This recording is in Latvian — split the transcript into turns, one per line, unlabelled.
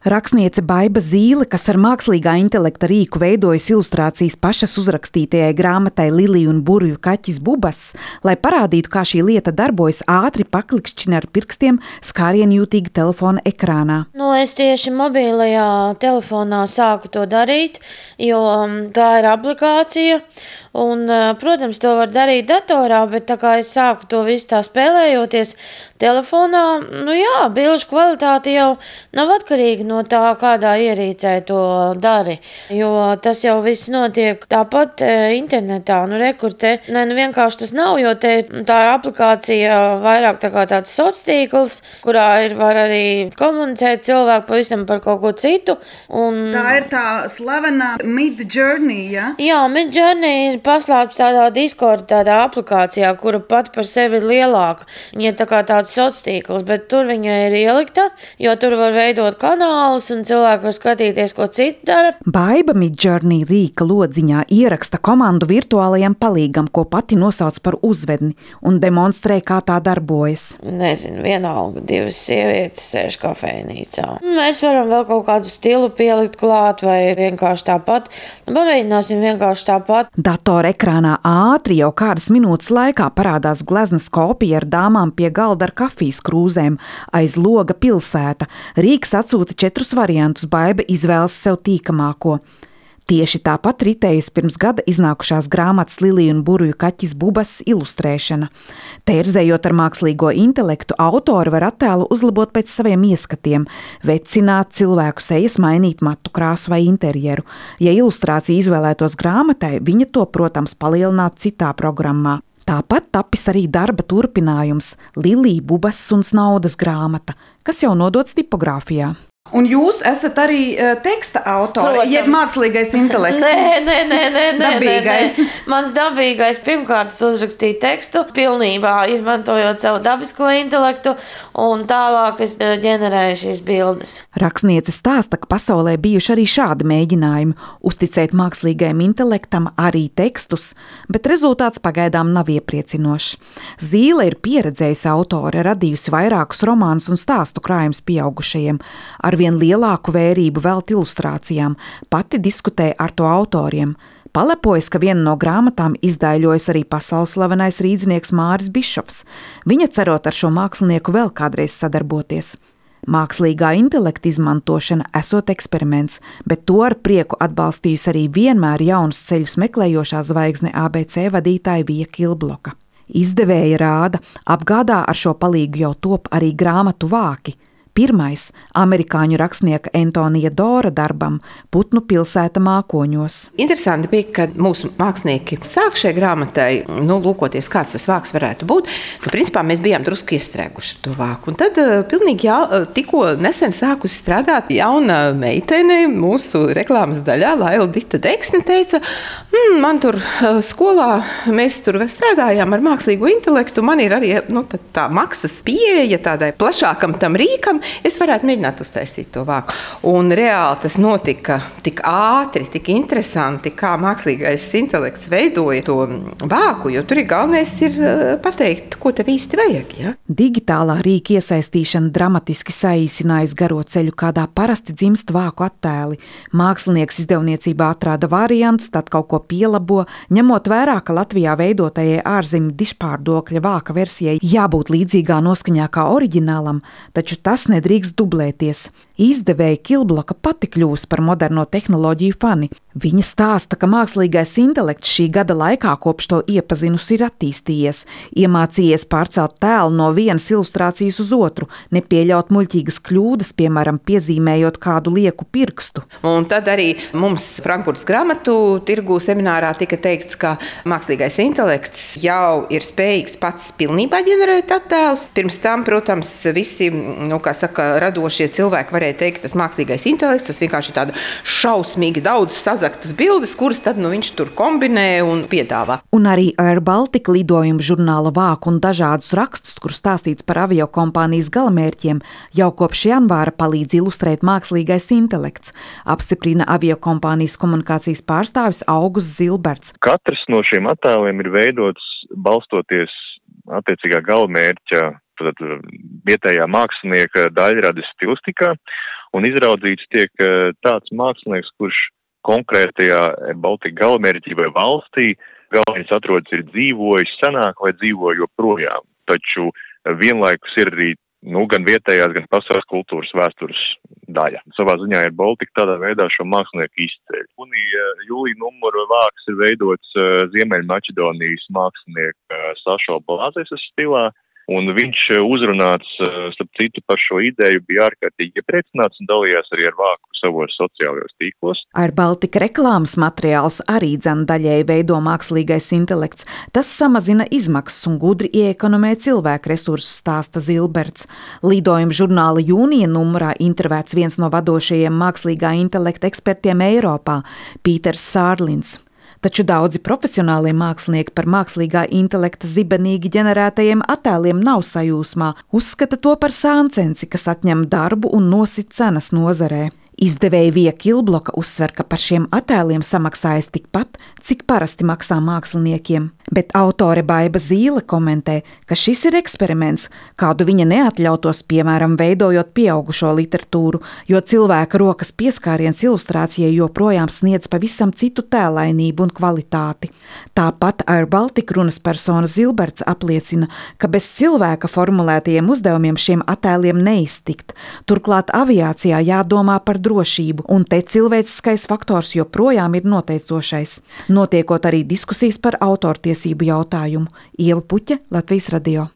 Rakstniece Baiba Zīle, kas ar mākslīgā intelekta rīku veidojas ilustrācijas pašas uzrakstītajai grāmatai Lilija un burvju kaķis Bubas, lai parādītu, kā šī lieta darbojas, ātri paklikšķina ar pirkstiem skārienjūtīgi telefona ekrānā.
Es tieši mobilajā telefonā sāku to darīt, jo tā ir aplikācija. Un, protams, to var darīt datorā, bet tā kā es sāku to visu tā spēlējoties telefonā, bilžu kvalitāte jau nav atkarīga no tā, kādā ierīcē to dari, jo tas jau viss notiek tāpat internetā. Vienkārši tas nav, jo tā ir aplikācija vairāk tā kā tāds sociāls tīkls, kurā var arī komunicēt cilvēki pavisam par kaut ko citu.
Tā ir tā slavenā Midjourney, ja?
Jā, Midjourney ir paslēpts tādā Discord, tādā aplikācijā, kura pat par sevi ir lielāka. Viņa ir tā kā tāds sociāls tīkls, bet tur viņa ir ielikta, jo tur var veidot kanālus un cilvēki var skatīties, ko citi dara.
Baiba Midjourney rīka lodziņā ieraksta komandu virtuālajam palīgam, ko pati nosauc par uzvedni un demonstrē, kā tā darbojas.
Nezinu, vienalga, 2 sievietes sēž kafejnīcā. Mēs varam vēl kaut kādu stilu pielikt klāt vai vienkārši tāpat. Pamēģināsim vienkārši tāpat.
Datora ekrānā ātri jau kādas minūtes laikā parādās gleznas kopija ar dāmām pie galda ar kafijas krūzēm, aiz loga pilsēta. Rīks atsūta 4 variantus, Baiba izvēlas sev tīkamāko. Tieši tāpat ritējusi pirms gada iznākušās grāmatas Lilija un burvju kaķis Bubas ilustrēšana. Tērzējot ar mākslīgo intelektu, autori var attēlu uzlabot pēc saviem ieskatiem, vecināt cilvēku sejas, mainīt matu krāsu vai interjeru. Ja ilustrācija izvēlētos grāmatai, viņa to, protams, palielinātu citā programmā. Tāpat tapis arī darba turpinājums Lilija, Bubas un Snaudas grāmata, kas jau nodots tipogrāfijā.
Un jūs esat arī teksta autori, jeb mākslīgais intelekts?
Nē.
Dabīgais.
Mans dabīgais pirmkārt uzrakstīja tekstu, pilnībā izmantojot savu dabisko intelektu, un tālāk es ģenerēju šīs bildes.
Rakstniece stāsta, ka pasaulē bijuši arī šādi mēģinājumi uzticēt mākslīgajam intelektam arī tekstus, bet rezultāts pagaidām nav iepriecinošs. Zīle ir pieredzējusi autore, radījusi vairākus romānus un stāstu krājumus pieaugušajiem. Arvien lielāku vērību velt ilustrācijām, pati diskutē ar to autoriem. Palepojas, ka viena no grāmatām izdaiļojas arī pasaules slavenais rīdznieks Māris Bišofs. Viņa cerot ar šo mākslinieku vēl kādreiz sadarboties. Mākslīgā intelekta izmantošana esot eksperiments, bet to ar prieku atbalstījusi arī vienmēr jaunus ceļus meklējošā zvaigzne ABC vadītāja Vija Kilbloka. Izdevēja rāda, apgādā ar šo palīgu jau top arī grāmatu vāki. Pirmais amerikāņu rakstnieka Antonija Dora darbam Putnu pilsēta mākoņos.
Interesanti bija, ka mūsu mākslinieki sāk šai grāmatai, lūkoties, kāds tas vāks varētu būt. Principā mēs bijām drusku iestrēguši ar to vāku. Un tad pilnīgi tikko nesen sākusi strādāt jauna meitene mūsu reklāmas daļā, Laila Dita Deksne, teica, man tur skolā, mēs tur strādājām ar mākslīgo intelektu, man ir arī tā maksas pieeja tādai plašākam tam rīkam, es varētu mēģināt uztaisīt to vāku. Un reāli tas notika tik ātri, tik interesanti, kā mākslīgais intelekts veidoja to vāku, jo tur galvenais ir pateikt, ko tev īsti vajag. Ja?
Digitālā rīka iesaistīšana dramatiski saīsinājusi garo ceļu, kādā parasti dzimst vāku attēli. Mākslinieks izdevniecībā atrāda variantus, tad kaut ko pielabo, ņemot vērā, ka Latvijā veidotajai ārzemju dižpārdokļa vāka versijai jābūt līdzīgā noskaņā kā oriģinālam, taču tas nedrīkst dublēties. Izdevēja Kilbloka pati kļūs par moderno tehnoloģiju fani. Viņa stāsta, ka mākslīgais intelekts šī gada laikā kopš to iepazinusi ir attīstījies, iemācījies pārcelt tēlu no vienas ilustrācijas uz otru, nepieļaut muļķīgas kļūdas, piemēram, piezīmējot kādu lieku pirkstu.
Un tad arī mums Frankfurtas grāmatu tirgū seminārā tika teikts, ka mākslīgais intelekts jau ir spējīgs pats pilnībā ģenerēt attēlus. Pirms tam, protams, visi, radošie cilvēki varēja teikt, tas mākslīgais intelekts, tas vienkārši ir tāda šausmīgi daudz sazaktas bildes, kuras tad viņš tur kombinē un piedāvā.
Un arī Air Baltica lidojumu žurnāla vāku un dažādus rakstus, kur stāstīts par aviokompānijas galamērķiem, jau kopš janvāra palīdz ilustrēt mākslīgais intelekts, apstiprina aviokompānijas komunikācijas pārstāvis Augusts Zilberts.
Katrs no šiem attēliem ir veidots balstoties attiecīgā galamērķa, vietējā mākslinieka daļradas stilistikā, un izraudzīts tiek tāds mākslinieks, kurš konkrētajā Baltika galamērķī vai valstī galvenais atrodas ir dzīvojis senāk vai dzīvo joprojām. Taču vienlaikus ir arī gan vietējās, gan pasaules kultūras vēstures daļa. Savā ziņā ir Baltika tādā veidā šo mākslinieku izceļ. Jūlija numuru vāks ir veidots Ziemeļmaķedonijas mākslinieka Sašo Blāzes stilā, un viņš uzrunāts, starp citu, par šo ideju bija ārkārtīgi iepriecināts un dalījās arī ar vāku savos sociālajos tīklos.
Ar Baltika reklāmas materiāls arī daļēji veido mākslīgais intelekts. Tas samazina izmaksas un gudri ieekonomē cilvēku resursus, stāsta Zilberts. Lidojuma žurnāla jūnija numurā intervēts viens no vadošajiem mākslīgā intelekta ekspertiem Eiropā – Pīters Sārlins. Taču daudzi profesionālie mākslinieki par mākslīgā intelekta zibenīgi ģenerētajiem attēliem nav sajūsmā, uzskata to par sāncensi, kas atņem darbu un nosit cenas nozarē. Izdevēja Vija Kilbloka uzsver, ka par šiem attēliem samaksājas tikpat, cik parasti maksā māksliniekiem. Bet autore Baiba Zīle komentē, ka šis ir eksperiments, kādu viņa neatļautos, piemēram, veidojot pieaugušo literatūru, jo cilvēka rokas pieskāriens ilustrācijai joprojām sniedz pavisam citu tēlainību un kvalitāti. Tāpat Air Baltica runas persona Zilberts apliecina, ka bez cilvēka formulētajiem uzdevumiem šiem attēliem neiztikt. Turklāt aviācijā jādomā par drošību, un te cilvēciskais faktors joprojām ir noteicošais. Notiekot arī diskusijas par autortiesību jautājumu. Ieva Puķe, Latvijas radio.